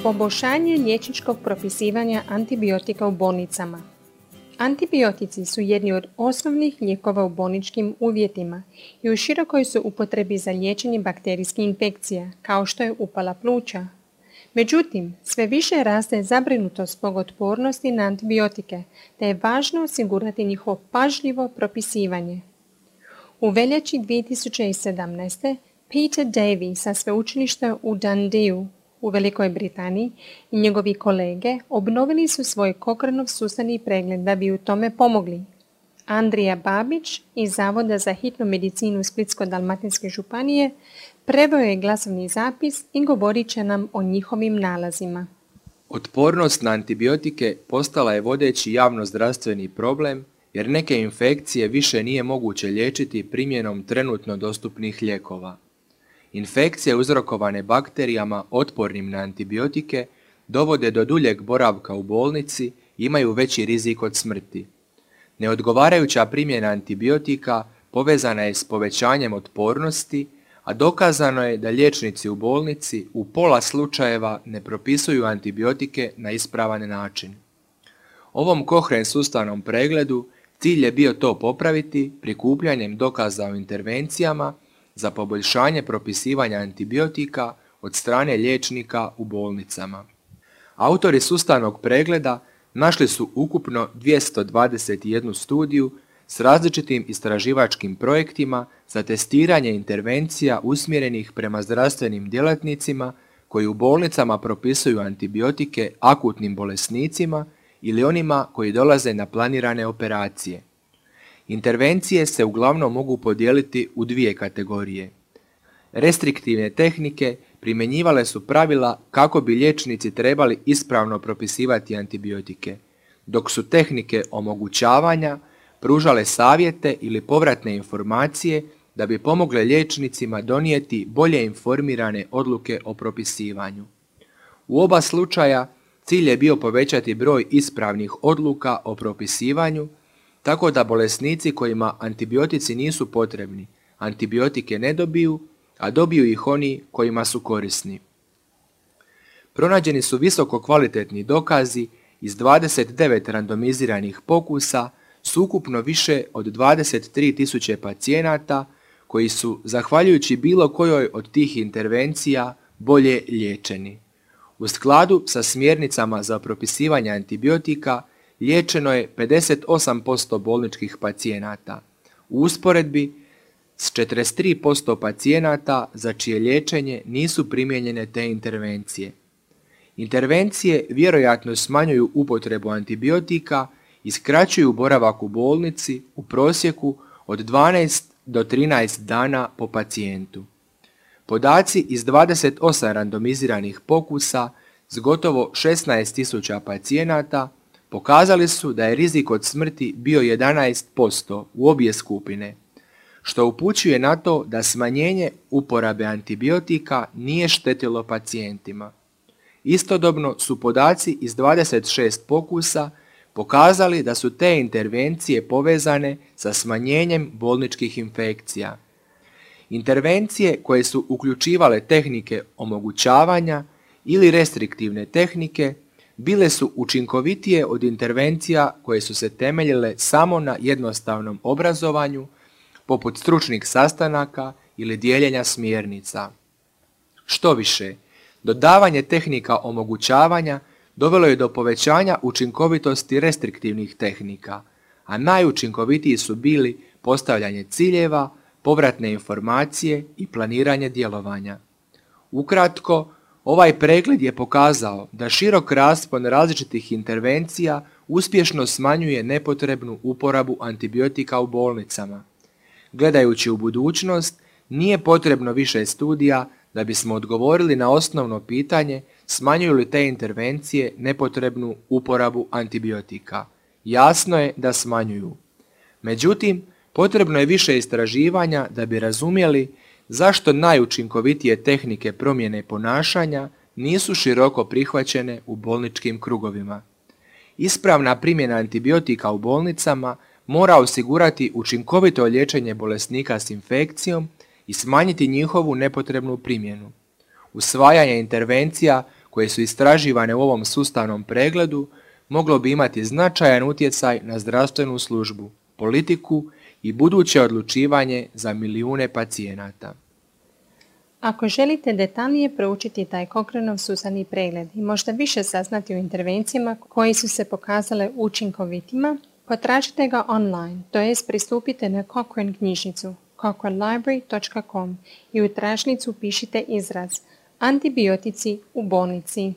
Poboljšanje liječničkog propisivanja antibiotika u bolnicama. Antibiotici su jedni od osnovnih lijekova u bolničkim uvjetima i u širokoj su upotrebi za liječenje bakterijskih infekcija, kao što je upala pluća. Međutim, sve više raste zabrinutost zbog otpornosti na antibiotike, te je važno osigurati njihovo pažljivo propisivanje. U veljači 2017. Peter Davey sa sveučilišta u Dundeeu u Velikoj Britaniji i njegovi kolege obnovili su svoj Cochraneov sustavni pregled da bi u tome pomogli. Andrija Babić iz Zavoda za hitnu medicinu Splitsko-dalmatinske županije preveo je glasovni zapis i govorit će nam o njihovim nalazima. Otpornost na antibiotike postala je vodeći javnozdravstveni problem jer neke infekcije više nije moguće liječiti primjenom trenutno dostupnih lijekova. Infekcije uzrokovane bakterijama otpornim na antibiotike dovode do duljeg boravka u bolnici i imaju veći rizik od smrti. Neodgovarajuća primjena antibiotika povezana je s povećanjem otpornosti, a dokazano je da liječnici u bolnici u pola slučajeva ne propisuju antibiotike na ispravan način. Ovom Cochrane sustavnom pregledu cilj je bio to popraviti prikupljanjem dokaza o intervencijama za poboljšanje propisivanja antibiotika od strane liječnika u bolnicama. Autori sustavnog pregleda našli su ukupno 221 studiju s različitim istraživačkim projektima za testiranje intervencija usmjerenih prema zdravstvenim djelatnicima koji u bolnicama propisuju antibiotike akutnim bolesnicima ili onima koji dolaze na planirane operacije. Intervencije se uglavnom mogu podijeliti u dvije kategorije. Restriktivne tehnike primjenjivale su pravila kako bi liječnici trebali ispravno propisivati antibiotike, dok su tehnike omogućavanja pružale savjete ili povratne informacije da bi pomogle liječnicima donijeti bolje informirane odluke o propisivanju. U oba slučaja cilj je bio povećati broj ispravnih odluka o propisivanju, tako da bolesnici kojima antibiotici nisu potrebni, antibiotike ne dobiju, a dobiju ih oni kojima su korisni. Pronađeni su visoko kvalitetni dokazi iz 29 randomiziranih pokusa s ukupno više od 23.000 pacijenata koji su, zahvaljujući bilo kojoj od tih intervencija, bolje liječeni. U skladu sa smjernicama za propisivanje antibiotika liječeno je 58% bolničkih pacijenata, u usporedbi s 43% pacijenata za čije liječenje nisu primijenjene te intervencije. Intervencije vjerojatno smanjuju upotrebu antibiotika i skraćuju boravak u bolnici u prosjeku od 12 do 13 dana po pacijentu. Podaci iz 28 randomiziranih pokusa s gotovo 16.000 pacijenata pokazali su da je rizik od smrti bio 11% u obje skupine, što upućuje na to da smanjenje uporabe antibiotika nije štetilo pacijentima. Istodobno su podaci iz 26 pokusa pokazali da su te intervencije povezane sa smanjenjem bolničkih infekcija. Intervencije koje su uključivale tehnike omogućavanja ili restriktivne tehnike bile su učinkovitije od intervencija koje su se temeljile samo na jednostavnom obrazovanju, poput stručnih sastanaka ili dijeljenja smjernica. Štoviše, dodavanje tehnika omogućavanja dovelo je do povećanja učinkovitosti restriktivnih tehnika, a najučinkovitiji su bili postavljanje ciljeva, povratne informacije i planiranje djelovanja. Ukratko, ovaj pregled je pokazao da širok raspon različitih intervencija uspješno smanjuje nepotrebnu uporabu antibiotika u bolnicama. Gledajući u budućnost, nije potrebno više studija da bismo odgovorili na osnovno pitanje smanjuju li te intervencije nepotrebnu uporabu antibiotika. Jasno je da smanjuju. Međutim, potrebno je više istraživanja da bi razumjeli zašto najučinkovitije tehnike promjene ponašanja nisu široko prihvaćene u bolničkim krugovima. Ispravna primjena antibiotika u bolnicama mora osigurati učinkovito liječenje bolesnika s infekcijom i smanjiti njihovu nepotrebnu primjenu. Usvajanje intervencija koje su istraživane u ovom sustavnom pregledu moglo bi imati značajan utjecaj na zdravstvenu službu, politiku i buduće odlučivanje za milijune pacijenata. Ako želite detaljnije proučiti taj Cochraneov sustavni pregled i možda više saznati o intervencijama koje su se pokazale učinkovitima, potražite ga online, to jest pristupite na Cochrane knjižnicu cochranelibrary.com i u tražnicu pišite izraz antibiotici u bolnici.